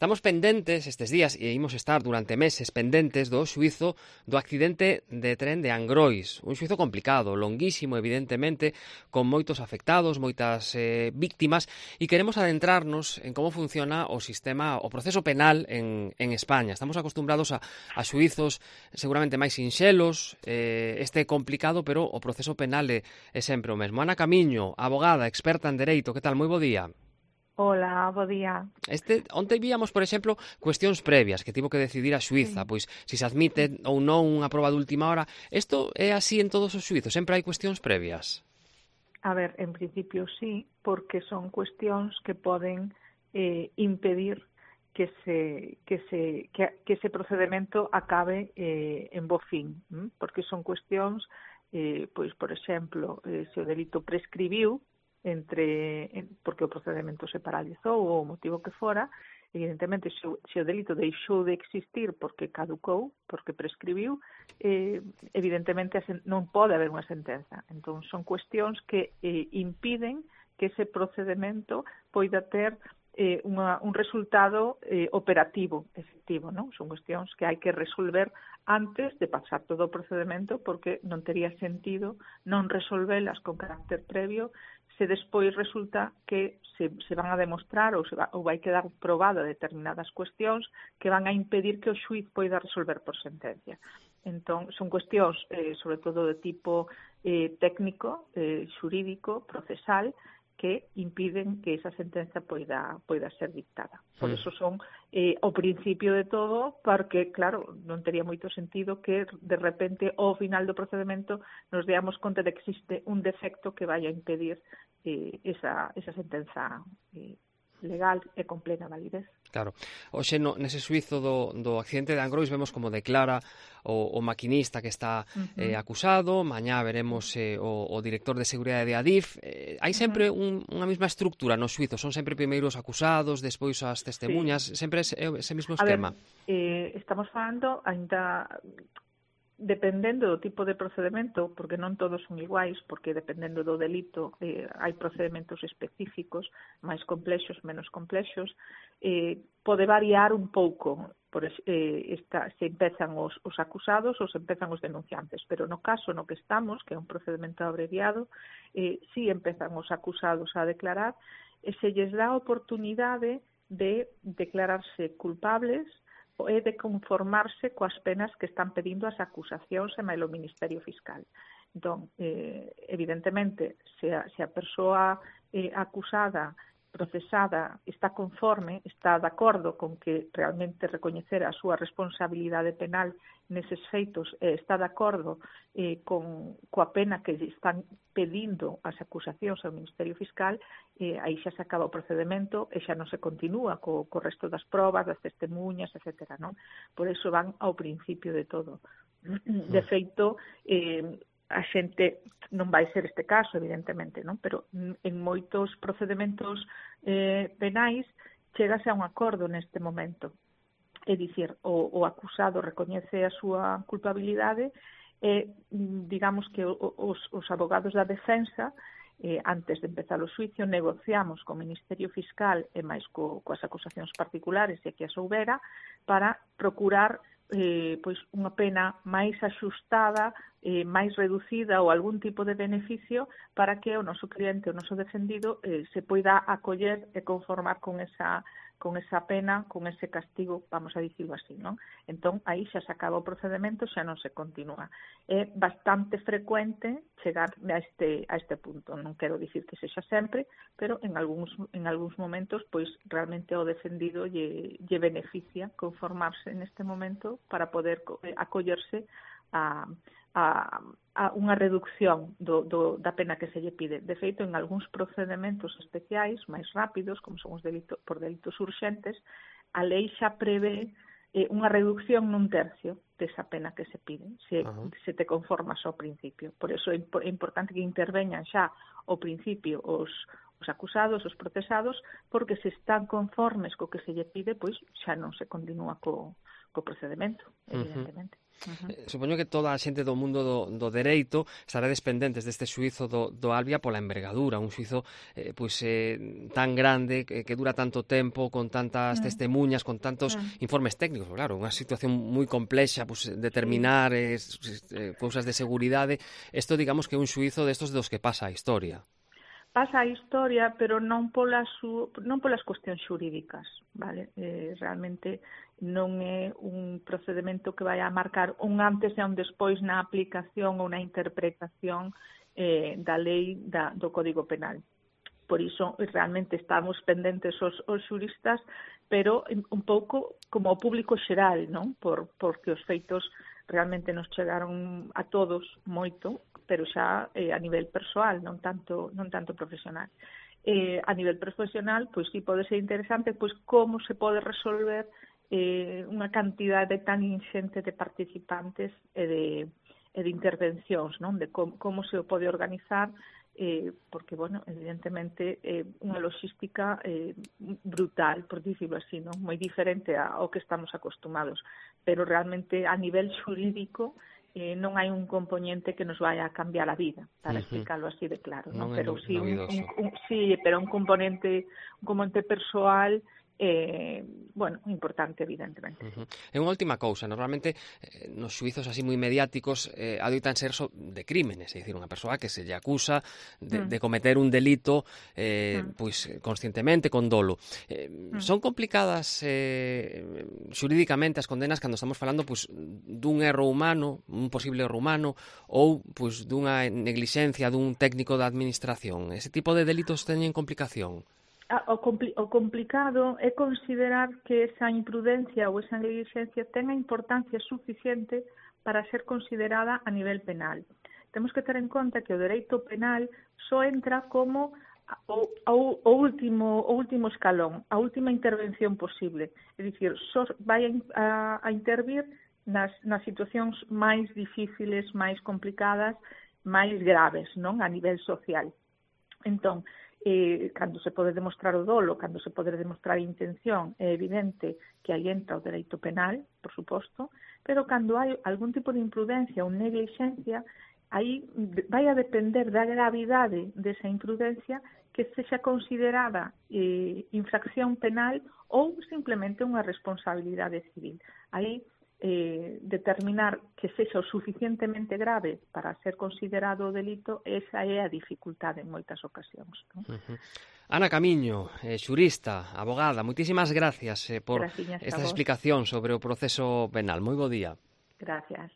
Estamos pendentes estes días e imos estar durante meses pendentes do xuízo do accidente de tren de Angrois. Un xuízo complicado, longuísimo, evidentemente, con moitos afectados, moitas víctimas, e queremos adentrarnos en como funciona o sistema, o proceso penal en España. Estamos acostumbrados a xuízos seguramente máis sinxelos, este é complicado, pero o proceso penal é sempre o mesmo. Ana Camiño, abogada, experta en dereito, que tal? Moi bo día. Hola, bo día. Onte víamos, por exemplo, cuestións previas que tivo que decidir a xuíza, pois se se admite ou non unha proba de última hora. Isto é así en todos os xuízos, sempre hai cuestións previas. A ver, en principio sí, porque son cuestións que poden impedir que ese procedemento acabe en bo fin, porque son cuestións, pois, por exemplo, se o delito prescribiu, porque o procedemento se paralizou ou o motivo que fora, evidentemente se o delito deixou de existir porque caducou, porque prescribiu, evidentemente non pode haber unha sentenza. Entón son cuestións que impiden que ese procedemento poida ter un resultado operativo, efectivo, non? Son cuestións que hai que resolver antes de pasar todo o procedemento, porque non tería sentido non resolvelas con carácter previo se despois resulta que se van a demostrar ou vai quedar probado determinadas cuestións que van a impedir que o xuíz poida resolver por sentencia. Entón, son cuestións, sobre todo de tipo técnico, xurídico, procesal, que impiden que esa sentenza poida ser dictada. Por eso son o principio de todo, porque, claro, non tería moito sentido que de repente ao final do procedimento nos deamos conta de que existe un defecto que vai a impedir esa sentenza legal e con plena validez. Claro. Hoxe nese suizo do accidente de Angrois vemos como declara o maquinista que está acusado, mañá veremos o director de seguridade de Adif. Hai sempre unha mesma estructura no suizo, son sempre primeiros acusados, despois as testemunhas, sempre ese mesmo esquema. A ver, estamos falando ainda dependendo do tipo de procedimento, porque non todos son iguais, porque dependendo do delito hai procedimentos específicos, máis complexos, menos complexos, pode variar un pouco se empezan os acusados ou se empezan os denunciantes, pero no caso no que estamos, que é un procedimento abreviado, si empezan os acusados a declarar e se lles dá a oportunidade de declararse culpables e de conformarse coas penas que están pedindo as acusacións e mailo Ministerio Fiscal. Entón, evidentemente, se a persoa acusada, procesada, está conforme, está de acordo con que realmente recoñecer a súa responsabilidade penal neses feitos, está de acordo coa pena que están pedindo as acusacións ao Ministerio Fiscal, aí xa se acaba o procedimento e xa non se continúa co resto das probas, das testemunhas, etc. Non? Por iso van ao principio de todo. De feito, a xente non vai ser este caso, evidentemente, non? Pero en moitos procedimentos penais chegase a un acordo neste momento. É dicir, o acusado recoñece a súa culpabilidade e, digamos que os abogados da defensa, antes de empezar o xuicio, negociamos co Ministerio Fiscal e máis coas acusacións particulares, se que as houbera, para procurar pois unha pena máis axustada, máis reducida ou algún tipo de beneficio para que o noso cliente, o noso defendido, se poida acoller e conformar con esa pena, con ese castigo, vamos a dicirlo así, non? Entón, aí xa se acaba o procedimento, xa non se continúa. É bastante frecuente chegar a este punto. Non quero dicir que sexa sempre, pero en algúns momentos, pois, realmente o defendido lle beneficia conformarse neste momento para poder acollerse a unha reducción da pena que se lle pide. De feito, en algúns procedimentos especiais, máis rápidos, como son os por delitos urxentes, a lei xa prevé unha reducción nun tercio desa pena que se pide, se te conformas ao principio. Por iso é importante que interveñan xa ao principio os os acusados, os procesados, porque se están conformes co que se lle pide, pois xa non se continúa co procedemento, evidentemente. Supoño que toda a xente do mundo do dereito estará pendentes deste xuízo do Albia pola envergadura, un xuízo tan grande, que dura tanto tempo, con tantas testemunhas, con tantos informes técnicos, claro, unha situación moi complexa, determinar cousas de seguridade. Isto, digamos, que é un xuízo destos dos que pasa a historia. Pasa a historia, pero non polas cuestións xurídicas, vale? Realmente non é un procedimento que vai a marcar un antes e un despois na aplicación ou na interpretación da lei do Código Penal. Por iso, realmente estamos pendentes os xuristas, pero un pouco como o público xeral, non? Porque os feitos realmente nos chegaron a todos moito, pero xa a nivel persoal, non tanto profesional. A nivel profesional, pois sí pode ser interesante pois como se pode resolver unha cantidade tan inxente de participantes e de intervencións, non? De como se o pode organizar, porque, bueno, evidentemente unha logística brutal, por dicirlo así, non? Moi diferente ao que estamos acostumados, pero realmente a nivel xurídico non hai un componente que nos vai a cambiar a vida, para explicarlo así de claro, non? Pero sí, pero un componente persoal importante, evidentemente. E unha última cousa, normalmente nos xuizos así moi mediáticos adoitan ser de crímenes, é dicir, unha persoa que se lle acusa de cometer un delito pois conscientemente, con dolo. Son complicadas xurídicamente as condenas cando estamos falando pois dun erro humano, un posible erro humano, ou pois dunha neglixencia dun técnico da administración. Ese tipo de delitos teñen complicación? O complicado é considerar que esa imprudencia ou esa negligencia tenga importancia suficiente para ser considerada a nivel penal. Temos que ter en conta que o dereito penal só entra como o último escalón, a última intervención posible. É dicir, só vai a intervir nas situacións máis difíciles, máis complicadas, máis graves, non? A nivel social. Entón, cando se pode demostrar o dolo, cando se pode demostrar a intención, é evidente que aí entra o dereito penal, por suposto, pero cando hai algún tipo de imprudencia ou neglixencia, aí vai a depender da gravidade desa imprudencia que sexa considerada infracción penal ou simplemente unha responsabilidade civil. Aí determinar que sexa o suficientemente grave para ser considerado o delito, esa é a dificultade en moitas ocasións, non? Ana Camiño, xurista, abogada, moitísimas gracias por esta explicación sobre o proceso penal. Moi bo día. Gracias.